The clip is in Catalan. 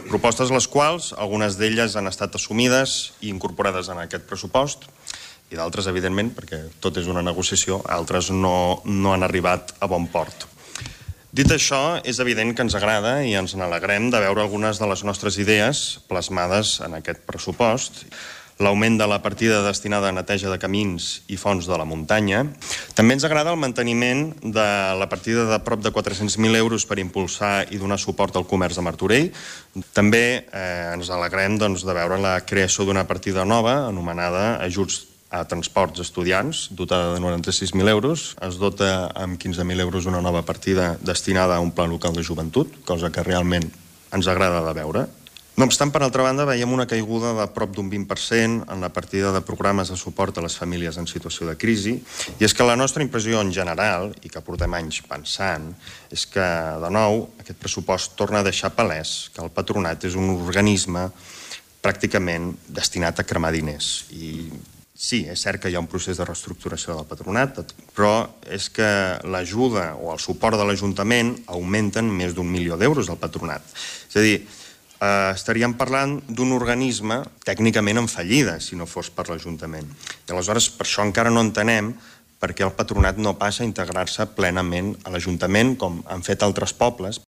Propostes les quals, algunes d'elles han estat assumides i incorporades en aquest pressupost, i d'altres, evidentment, perquè tot és una negociació, altres no han arribat a bon port. Dit això, és evident que ens agrada i ens n'alegrem de veure algunes de les nostres idees plasmades en aquest pressupost. L'augment de la partida destinada a neteja de camins i fonts de la muntanya. També ens agrada el manteniment de la partida de prop de 400.000 euros per impulsar i donar suport al comerç de Martorell. També ens alegrem de veure la creació d'una partida nova anomenada Ajuts a transports estudiants, dotada de 96.000 euros. Es dota amb 15.000 euros una nova partida destinada a un pla local de joventut, cosa que realment ens agrada de veure. No obstant, per altra banda, veiem una caiguda de prop d'un 20% en la partida de programes de suport a les famílies en situació de crisi, i és que la nostra impressió en general, i que portem anys pensant, és que, de nou, aquest pressupost torna a deixar palès que el patronat és un organisme pràcticament destinat a cremar diners. I sí, és cert que hi ha un procés de reestructuració del patronat, però és que l'ajuda o el suport de l'Ajuntament augmenten més d'1 milió d'euros al patronat. És a dir, estaríem parlant d'un organisme tècnicament en fallida, si no fos per l'Ajuntament. I aleshores, per això encara no entenem per què el patronat no passa a integrar-se plenament a l'Ajuntament, com han fet altres pobles.